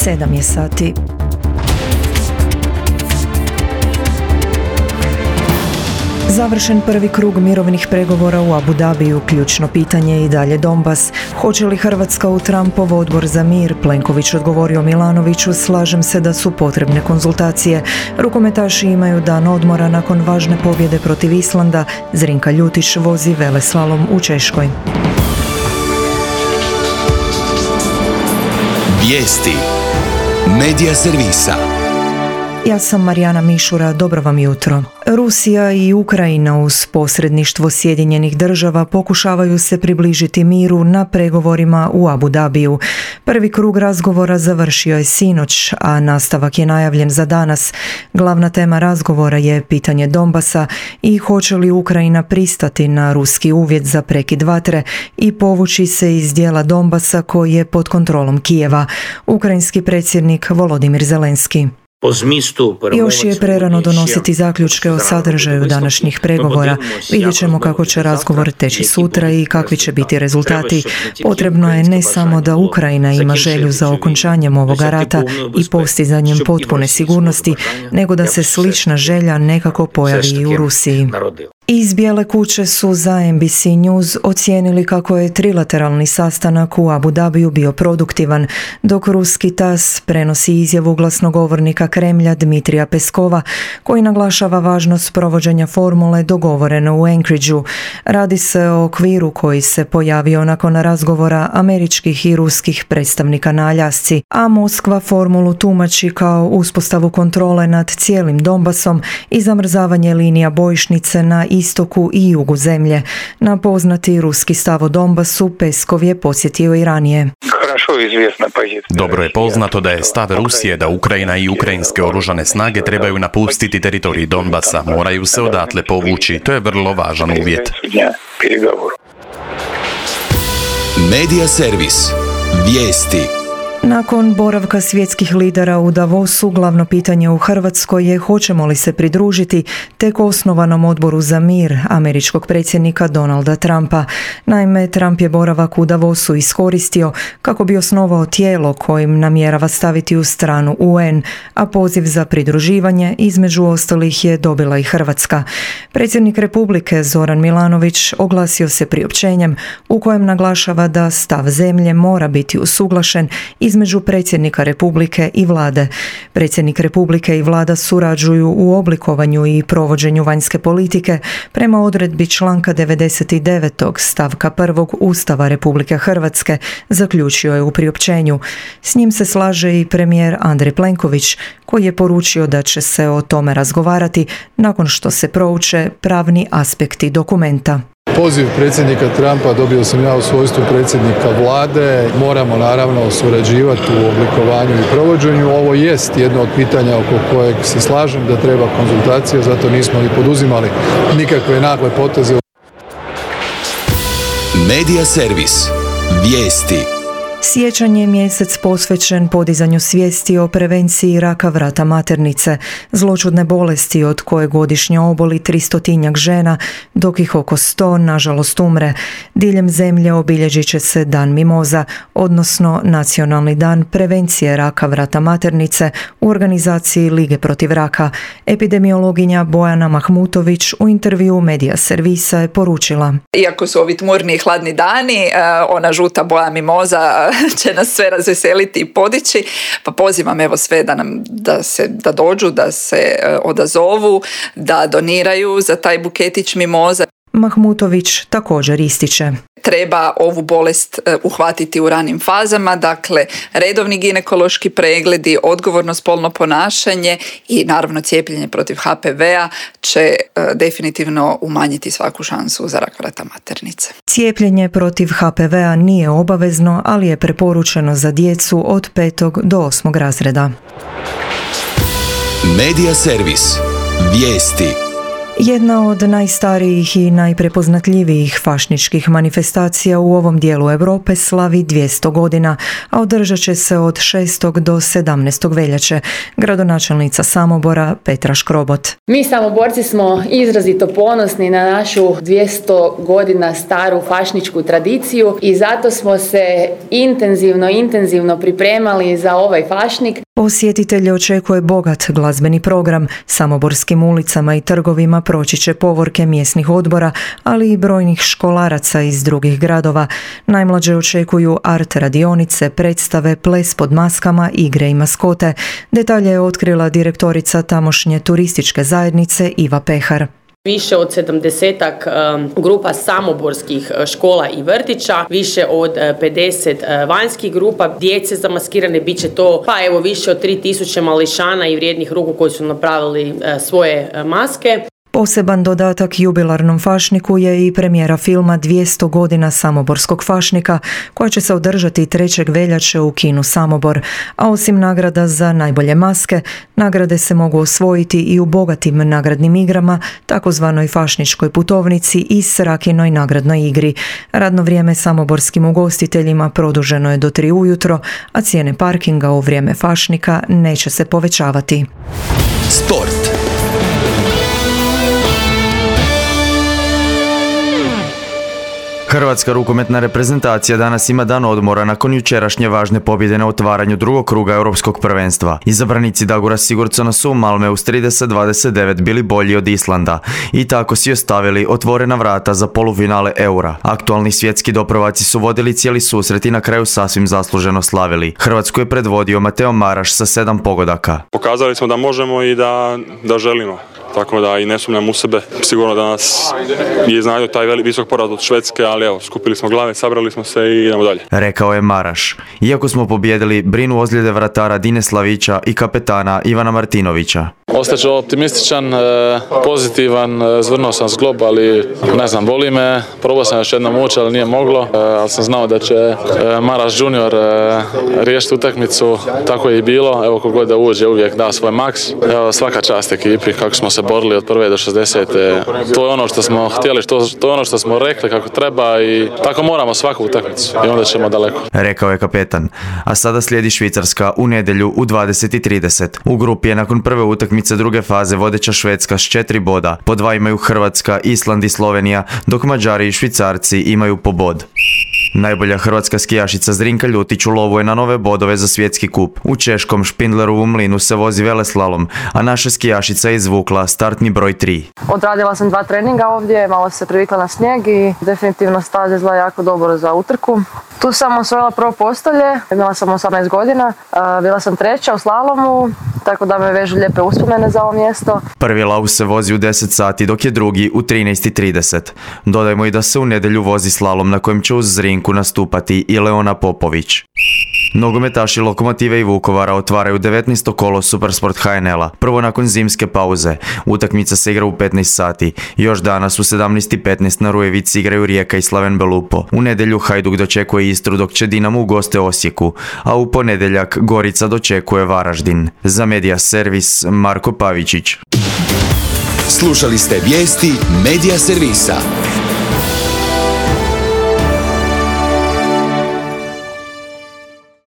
7 je sati. Završen prvi krug mirovnih pregovora u Abu Dhabiju, ključno pitanje je i dalje Donbas. Hoće li Hrvatska u Trumpov odbor za mir? Plenković odgovorio Milanoviću: slažem se da su potrebne konzultacije. Rukometaši imaju dan odmora nakon važne pobjede protiv Islanda. Zrinka Ljutić vozi veleslalom u Češkoj. Vijesti Medija servisa. Ja sam Marijana Mišura, dobro vam jutro. Rusija i Ukrajina uz posredništvo Sjedinjenih država pokušavaju se približiti miru na pregovorima u Abu Dhabiju. Prvi krug razgovora završio je sinoć, a nastavak je najavljen za danas. Glavna tema razgovora je pitanje Donbasa i hoće li Ukrajina pristati na ruski uvjet za prekid vatre i povući se iz dijela Donbasa koji je pod kontrolom Kijeva. Ukrajinski predsjednik Volodimir Zelenski: još je prerano donositi zaključke o sadržaju današnjih pregovora. Vidjet ćemo kako će razgovor teći sutra i kakvi će biti rezultati. Potrebno je ne samo da Ukrajina ima želju za okončanjem ovoga rata i postizanjem potpune sigurnosti, nego da se slična želja nekako pojavi i u Rusiji. Iz Bijele kuće su za NBC News ocijenili kako je trilateralni sastanak u Abu Dhabiju bio produktivan, dok ruski TASS prenosi izjavu glasnogovornika Kremlja Dmitrija Peskova, koji naglašava važnost provođenja formule dogovorene u Anchorageu. Radi se o okviru koji se pojavio nakon razgovora američkih i ruskih predstavnika na Aljasci, a Moskva formulu tumači kao uspostavu kontrole nad cijelim Donbasom i zamrzavanje linija bojišnice na istoku i jugu zemlje. Na poznati ruski stav o Donbasu Peskov je podsjetio i ranije. Dobro je poznato da je stav Rusije da Ukrajina i ukrajinske oružane snage trebaju napustiti teritorij Donbasa, moraju se odatle povući. To je vrlo važan uvjet. Medija servis. Vijesti. Nakon boravka svjetskih lidera u Davosu, glavno pitanje u Hrvatskoj je hoćemo li se pridružiti tek osnovanom odboru za mir američkog predsjednika Donalda Trumpa. Naime, Trump je boravak u Davosu iskoristio kako bi osnovao tijelo kojim namjerava staviti u stranu UN, a poziv za pridruživanje između ostalih je dobila i Hrvatska. Predsjednik Republike Zoran Milanović oglasio se priopćenjem u kojem naglašava da stav zemlje mora biti usuglašen između predsjednika Republike i vlade. Predsjednik Republike i vlada surađuju u oblikovanju i provođenju vanjske politike prema odredbi članka 99. stavka 1. Ustava Republike Hrvatske, zaključio je u priopćenju. S njim se slaže i premijer Andrej Plenković, koji je poručio da će se o tome razgovarati nakon što se prouče pravni aspekti dokumenta. Poziv predsjednika Trumpa dobio sam ja u svojstvu predsjednika vlade. Moramo naravno surađivati u oblikovanju i provođenju. Ovo jest jedno od pitanja oko kojeg se slažem da treba konzultacije, zato nismo ni poduzimali nikakve nagle poteze. Medija servis. Vijesti. Siječanj je mjesec posvećen podizanju svijesti o prevenciji raka vrata maternice, zloćudne bolesti od koje godišnje oboli 300 žena, dok ih oko 100 nažalost umre. Diljem zemlje obilježit će se Dan mimoza, odnosno Nacionalni dan prevencije raka vrata maternice u organizaciji Lige protiv raka. Epidemiologinja Bojana Mahmutović u intervjuu Medija servisa je poručila: iako su ovi tmurni i hladni dani, ona žuta boja mimoza će nas sve razveseliti i podići, pa pozivam evo sve da dođu, da se odazovu, da doniraju za taj buketić mimoza. Mahmutović također ističe: treba ovu bolest uhvatiti u ranim fazama, dakle redovni ginekološki pregledi, odgovorno spolno ponašanje i naravno cijepljenje protiv HPV-a će definitivno umanjiti svaku šansu za rak vrata maternice. Cijepljenje protiv HPV-a nije obavezno, ali je preporučeno za djecu od 5. do 8. razreda. Medija servis. Vijesti. Jedna od najstarijih i najprepoznatljivijih fašničkih manifestacija u ovom dijelu Europe slavi 200 godina, a održat će se od 6. do 17. veljače. Gradonačelnica Samobora Petra Škrobot. Mi Samoborci smo izrazito ponosni na našu 200 godina staru fašničku tradiciju i zato smo se intenzivno pripremali za ovaj fašnik. Posjetitelje očekuje bogat glazbeni program. Samoborskim ulicama i trgovima proći će povorke mjesnih odbora, ali i brojnih školaraca iz drugih gradova. Najmlađe očekuju art radionice, predstave, ples pod maskama, igre i maskote. Detalje je otkrila direktorica tamošnje turističke zajednice Iva Pehar. Više od 70-ak grupa samoborskih škola i vrtića, više od 50 vanjskih grupa, djece zamaskirane, bit će to više od 3000 mališana i vrijednih ruku koji su napravili svoje maske. Poseban dodatak jubilarnom fašniku je i premijera filma 200 godina samoborskog fašnika, koja će se održati 3. veljače u kinu Samobor. A osim nagrada za najbolje maske, nagrade se mogu osvojiti i u bogatim nagradnim igrama, takozvanoj fašničkoj putovnici i Srakinoj nagradnoj igri. Radno vrijeme samoborskim ugostiteljima produženo je do 3 ujutro, a cijene parkinga u vrijeme fašnika neće se povećavati. Sport. Hrvatska rukometna reprezentacija danas ima dan odmora nakon jučerašnje važne pobjede na otvaranju drugog kruga europskog prvenstva. Izabranici Dagora Sigurdsona su u Malmeu s 30-29 bili bolji od Islanda i tako si ostavili otvorena vrata za polufinale Eura. Aktualni svjetski doprvaci su vodili cijeli susret i na kraju sasvim zasluženo slavili. Hrvatsku je predvodio Mateo Maraš sa 7 pogodaka. Pokazali smo da možemo i da želimo. Tako da i ne sumnjam u sebe. Sigurno da nas je iznadio taj visok poraz od Švedske, ali evo, skupili smo glave, sabrali smo se i idemo dalje. Rekao je Maraš. Iako smo pobijedili, brinu ozljede vratara Dine Slavića i kapetana Ivana Martinovića. Ostaću optimističan, pozitivan, zvrnuo sam zglob, ali ne znam, boli me. Probao sam još jednom ući, ali nije moglo. Ali sam znao da će Maraš junior riješiti utakmicu, tako je i bilo. Evo, kogod da uđe uvijek da svoj maks. Evo, svaka čast ekipi, kako smo se borili od 1. do 60. To je ono što smo htjeli, to je ono što smo rekli kako treba i tako moramo svaku utakmicu i onda ćemo daleko. Rekao je kapetan. A sada slijedi Švicarska u nedjelju u 20:30. U grupi je nakon prve utakmice druge faze vodeća Švedska s 4 boda. Po 2 imaju Hrvatska, Island i Slovenija, dok Mađari i Švicarci imaju po bod. Najbolja hrvatska skijašica Zrinka Ljutić u lovu je na nove bodove za svjetski kup. U češkom Špindlerovu mlinu se vozi veleslalom, a naša skijašica je izvukla startni broj 3. Odradila sam 2 treninga ovdje, malo se privikla na snijeg i definitivno staza izgleda jako dobro za utrku. Tu sam osvojila prvo postolje, imala sam 18 godina, bila sam 3. u slalomu, tako da me vežu lijepe uspomene za ovo mjesto. Prvi lav se vozi u 10 sati, dok je drugi u 13:30. Dodajmo i da se u nedjelju vozi slalom na kojem će uz Zrinku nastupati i Leona Popović. Nogometaši Lokomotive i Vukovara otvaraju 19. kolo Supersport HNL-a, prvo nakon zimske pauze. Utakmica se igra u 15 sati. Još danas u 17:15 na Rujevici igraju Rijeka i Slaven Belupo. U nedjelju Hajduk dočekuje Istru, dok će Dinamo ugoste Osijeku, a u ponedjeljak Gorica dočekuje Varaždin. Za Media Servis Marko Pavičić. Slušali ste vijesti Media Servisa.